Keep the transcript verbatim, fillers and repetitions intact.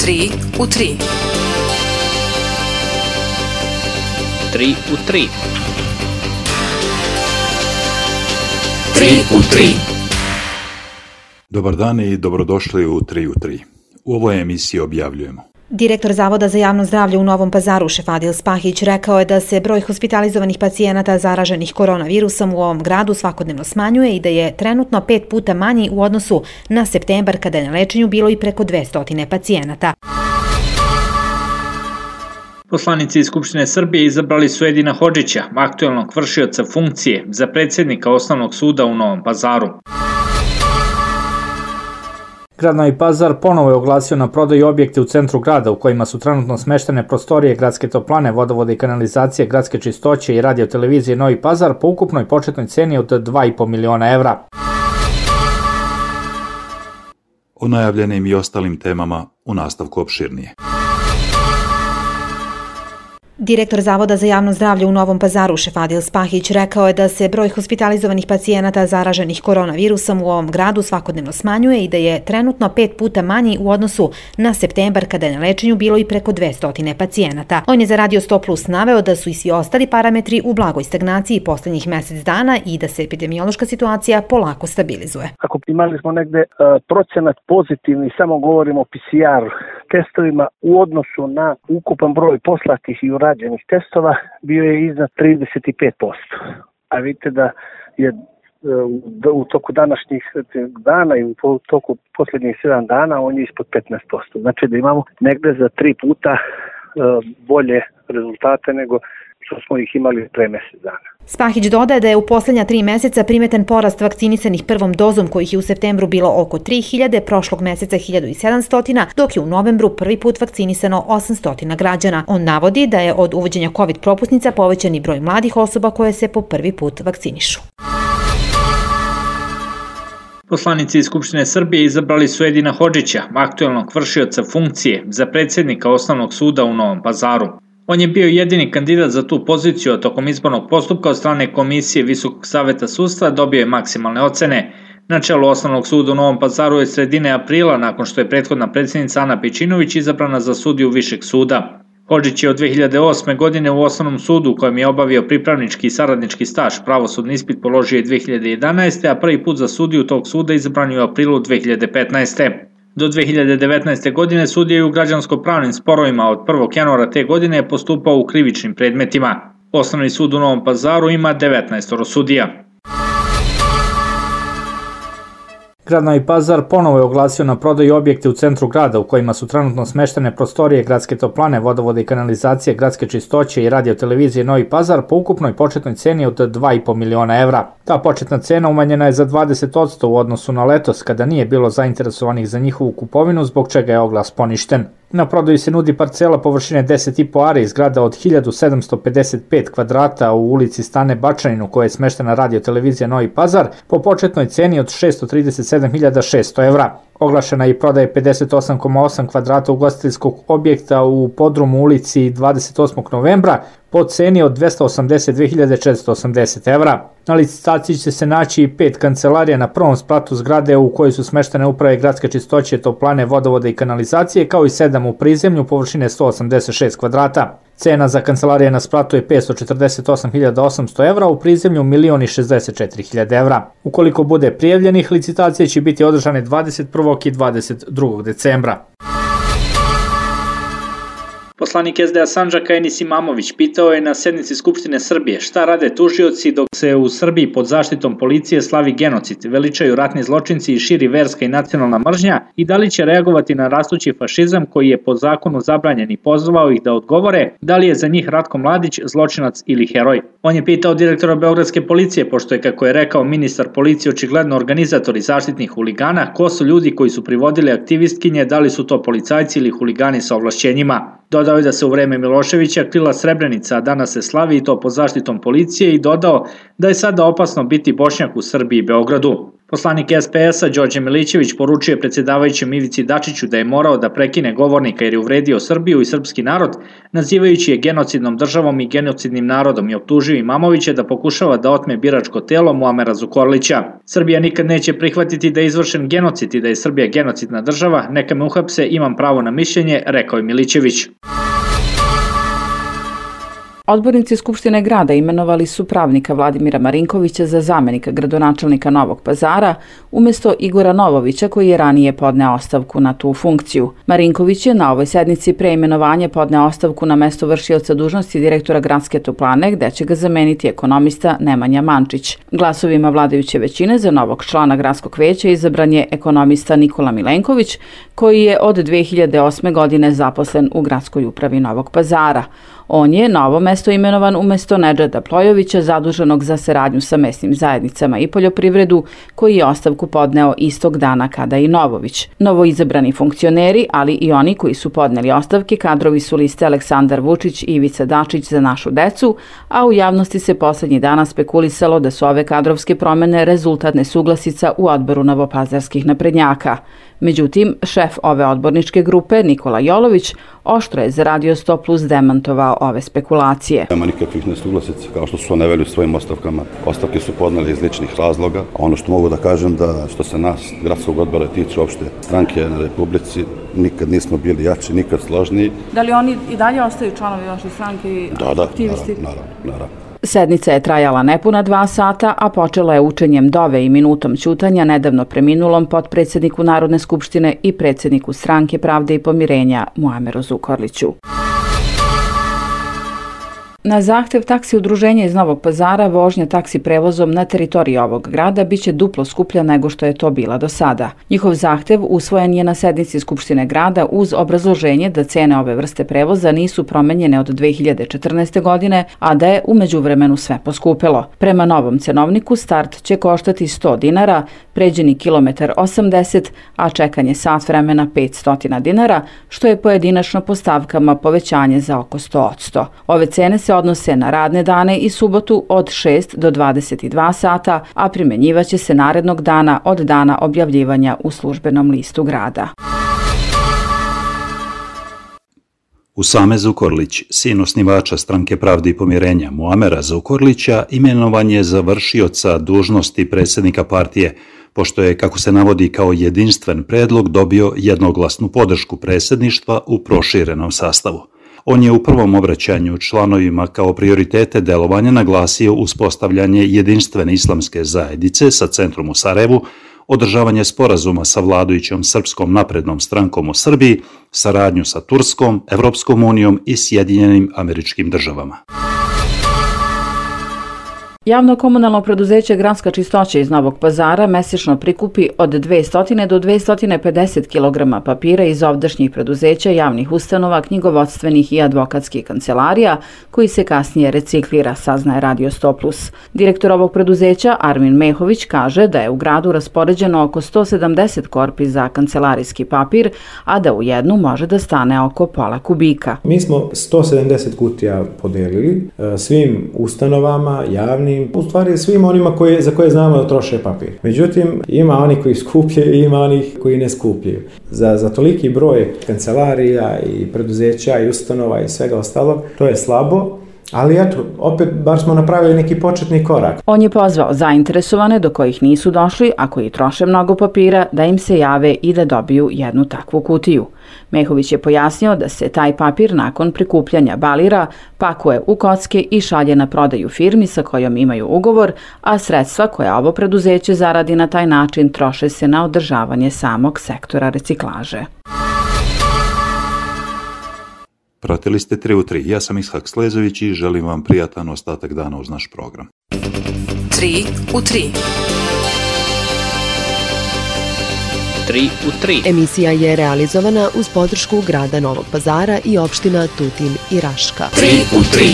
tri u tri. tri u tri. tri u tri. Dobar dan i dobrodošli u tri u tri. U ovoj emisiji objavljujemo. Direktor Zavoda za javno zdravlje u Novom Pazaru Šefadil Spahić rekao je da se broj hospitalizovanih pacijenata zaraženih koronavirusom u ovom gradu svakodnevno smanjuje i da je trenutno pet puta manji u odnosu na septembar kada je na lečenju bilo i preko dvesta pacijenata. Poslanici iz Skupštine Srbije izabrali su Edina Hodžića, aktuelnog vršioca funkcije za predsjednika Osnovnog suda u Novom Pazaru. Grad Novi Pazar ponovo je oglasio na prodaju objekte u centru grada u kojima su trenutno smeštene prostorije gradske toplane, vodovode i kanalizacije, gradske čistoće i radiotelevizije Novi Pazar po ukupnoj početnoj ceni od dva i po miliona evra. O najavljenim i ostalim temama u nastavku opširnije. Direktor Zavoda za javno zdravlje u Novom Pazaru Šefadil Spahić rekao je da se broj hospitalizovanih pacijenata zaraženih koronavirusom u ovom gradu svakodnevno smanjuje i da je trenutno pet puta manji u odnosu na septembar kada je na lečenju bilo i preko dvesta pacijenata. On je za Radio sto plus naveo da su i svi ostali parametri u blagoj stagnaciji poslednjih mesec dana i da se epidemiološka situacija polako stabilizuje. Ako imali smo negde uh, procenat pozitivni, samo govorimo o P C R testovima u odnosu na ukupan broj poslatih i urađenih testova, bio je iznad trideset pet posto. A vidite da je u toku današnjih dana i u toku posljednjih sedam dana on je ispod petnaest posto. Znači da imamo negde za tri puta bolje rezultate nego što smo ih imali pre mesec dana. Spahić dodaje da je u posljednja tri meseca primetan porast vakcinisanih prvom dozom kojih je u septembru bilo oko tri hiljade, prošlog meseca hiljadu sedamsto, dok je u novembru prvi put vakcinisano osamsto građana. On navodi da je od uvođenja COVID propusnica povećan i broj mladih osoba koje se po prvi put vakcinišu. Poslanici iz Skupštine Srbije izabrali su Edina Hodžića, aktuelnog vršioca funkcije za predsjednika Osnovnog suda u Novom Pazaru. On je bio jedini kandidat za tu poziciju, a tokom izbornog postupka od strane Komisije Visokog saveta sudstva dobio je maksimalne ocene. Na čelu Osnovnog suda u Novom Pazaru je sredine aprila, nakon što je prethodna predsjednica Ana Pejčinović izabrana za sudiju Višeg suda. Hodžić je od dve hiljade osme. godine u Osnovnom sudu, u kojem je obavio pripravnički i saradnički staž, pravosudni ispit položio je dve hiljade jedanaeste. a prvi put za sudiju tog suda izabran je u aprilu dve hiljade petnaeste. Do dve hiljade devetnaeste. godine sudija je u građansko-pravnim sporovima, od prvog januara te godine je postupao u krivičnim predmetima. Osnovni sud u Novom Pazaru ima devetnaest sudija. Grad Novi Pazar ponovo je oglasio na prodaju objekte u centru grada u kojima su trenutno smeštene prostorije gradske toplane, vodovode i kanalizacije, gradske čistoće i radiotelevizije Novi Pazar po ukupnoj početnoj ceni od dva i po miliona evra. Ta početna cena umanjena je za dvadeset posto u odnosu na letos kada nije bilo zainteresovanih za njihovu kupovinu, zbog čega je oglas poništen. Na prodaju se nudi parcela površine deset i po ari iz grada od hiljadu sedamsto pedeset pet kvadrata u ulici Stane Bačanin u kojoj je smeštena radiotelevizija Novi Pazar po početnoj ceni od šessto trideset sedam hiljada šesto evra. Oglašena je i prodaje pedeset osam zarez osam kvadrata ugostiteljskog objekta u podrumu ulici dvadeset osmog novembra po ceni od dvesta osamdeset dve hiljade četiristo osamdeset evra. Na licitaciji će se naći i pet kancelarija na prvom spratu zgrade u kojoj su smeštene uprave gradske čistoće, toplane, vodovode i kanalizacije, kao i sedam u prizemlju površine sto osamdeset šest kvadrata. Cena za kancelarije na spratu je petsto četrdeset osam hiljada osamsto evra, u prizemlju milion šezdeset četiri hiljade evra. Ukoliko bude prijavljenih, licitacije će biti održane dvadeset prvog i dvadeset drugog decembra. Poslanik S D A Sandžaka Enis Imamović pitao je na sednici Skupštine Srbije šta rade tužioci dok se u Srbiji pod zaštitom policije slavi genocid, veličaju ratni zločinci i širi verska i nacionalna mržnja i da li će reagovati na rastući fašizam koji je po zakonu zabranjen i pozvao ih da odgovore da li je za njih Ratko Mladić zločinac ili heroj. On je pitao direktora Beogradske policije, pošto je, kako je rekao ministar policije, očigledno organizatori zaštitnih huligana, ko su ljudi koji su privodili aktivistkinje, da li su to policajci ili huligani sa ovlašćenjima. Dodao je da se u vreme Miloševića krila Srebrenica, a danas se slavi i to pod zaštitom policije, i dodao da je sada opasno biti Bošnjak u Srbiji i Beogradu. Poslanik S P S-a Đorđe Milićević poručio je predsjedavajućem Ivici Dačiću da je morao da prekine govornika jer je uvredio Srbiju i srpski narod, nazivajući je genocidnom državom i genocidnim narodom i optužio Imamovića da pokušava da otme biračko telo Muamera Zukorlića. Srbija nikad neće prihvatiti da je izvršen genocid i da je Srbija genocidna država, neka me uhapse, imam pravo na mišljenje, rekao je Milićević. Odbornici Skupštine grada imenovali su pravnika Vladimira Marinkovića za zamenika gradonačelnika Novog Pazara umjesto Igora Novovića koji je ranije podneo ostavku na tu funkciju. Marinković je na ovoj sednici pre imenovanja podneo ostavku na mesto vršioca dužnosti direktora gradske toplane gde će ga zameniti ekonomista Nemanja Mančić. Glasovima vladajuće većine za novog člana gradskog veća izabran je ekonomista Nikola Milenković koji je od dve hiljade osme godine zaposlen u gradskoj upravi Novog Pazara. On je na ovo mesto imenovan umjesto Nedžada Plojovića, zaduženog za saradnju sa mesnim zajednicama i poljoprivredu, koji je ostavku podneo istog dana kada i Novović. Novoizabrani funkcioneri, ali i oni koji su podneli ostavke, kadrovi su liste Aleksandar Vučić i Ivica Dačić za našu decu, a u javnosti se poslednjih dana spekulisalo da su ove kadrovske promene rezultat nesuglasica u odboru novopazarskih naprednjaka. Međutim, šef ove odborničke grupe, Nikola Jolović, oštro je za Radio sto plus demantovao ove spekulacije. Nema nikakvih nesuglasica, kao što su naveli u svojim ostavkama. Ostavke su podneli iz ličnih razloga. A ono što mogu da kažem da što se nas, gradskog odbora, tiče opšte stranke na Republici, nikad nismo bili jači, nikad složniji. Da li oni i dalje ostaju članovi vaše stranke i da, da, aktivisti? Da, naravno, naravno. Sednica je trajala nepuna dva sata, a počela je učenjem dove i minutom ćutanja nedavno preminulom potpredsjedniku Narodne skupštine i predsjedniku Stranke pravde i pomirenja Muameru Zukorliću. Na zahtev taksi udruženja iz Novog Pazara vožnja taksi prevozom na teritoriji ovog grada biće duplo skuplja nego što je to bila do sada. Njihov zahtev usvojen je na sednici Skupštine grada uz obrazloženje da cene ove vrste prevoza nisu promenjene od dve hiljade četrnaeste. godine, a da je u međuvremenu sve poskupilo. Prema novom cenovniku start će koštati sto dinara, pređeni kilometar osamdeset, a čekanje sat vremena petsto dinara, što je pojedinačno po stavkama povećanje za oko sto posto. Ove cene se odnose na radne dane i subotu od šest do dvadeset dva sata, a primenjivaće se narednog dana od dana objavljivanja u službenom listu grada. Usame Zukorlić, sin osnivača Stranke pravde i pomirenja Muamera Zukorlića, imenovan je za vršioca dužnosti predsjednika partije, pošto je, kako se navodi kao jedinstven predlog, dobio jednoglasnu podršku predsjedništva u proširenom sastavu. On je u prvom obraćanju članovima kao prioritete delovanja naglasio uspostavljanje jedinstvene islamske zajednice sa centrom u Sarajevu, održavanje sporazuma sa vladajućom Srpskom naprednom strankom u Srbiji, saradnju sa Turskom, Evropskom unijom i Sjedinjenim Američkim Državama. Javno komunalno preduzeće Gradska čistoća iz Novog Pazara mesečno prikupi od dvesta do dvesta pedeset kilograma papira iz ovdašnjih preduzeća, javnih ustanova, knjigovodstvenih i advokatskih kancelarija, koji se kasnije reciklira, saznaje Radio sto plus. Direktor ovog preduzeća, Armin Mehović, kaže da je u gradu raspoređeno oko sto sedamdeset korpi za kancelarijski papir, a da u jednu može da stane oko pola kubika. Mi smo sto sedamdeset kutija podelili svim ustanovama, javnim, u stvari svim onima koje, za koje znamo da troše papir. Međutim, ima oni koji skupljaju i ima onih koji ne skupljaju. Za, za toliki broj kancelarija i preduzeća i ustanova i svega ostalog, to je slabo. Ali eto, opet bar smo napravili neki početni korak. On je pozvao zainteresovane do kojih nisu došli, a koji troše mnogo papira, da im se jave i da dobiju jednu takvu kutiju. Mehović je pojasnio da se taj papir nakon prikupljanja balira, pakuje u kocke i šalje na prodaju firmi sa kojom imaju ugovor, a sredstva koja ovo preduzeće zaradi na taj način troše se na održavanje samog sektora reciklaže. Pratili ste tri u tri. Ja sam Ishak Slezović i želim vam prijatan ostatak dana uz naš program. tri u tri. tri u tri. Emisija je realizovana uz podršku grada Novog Pazara i opština Tutin i Raška. tri u tri.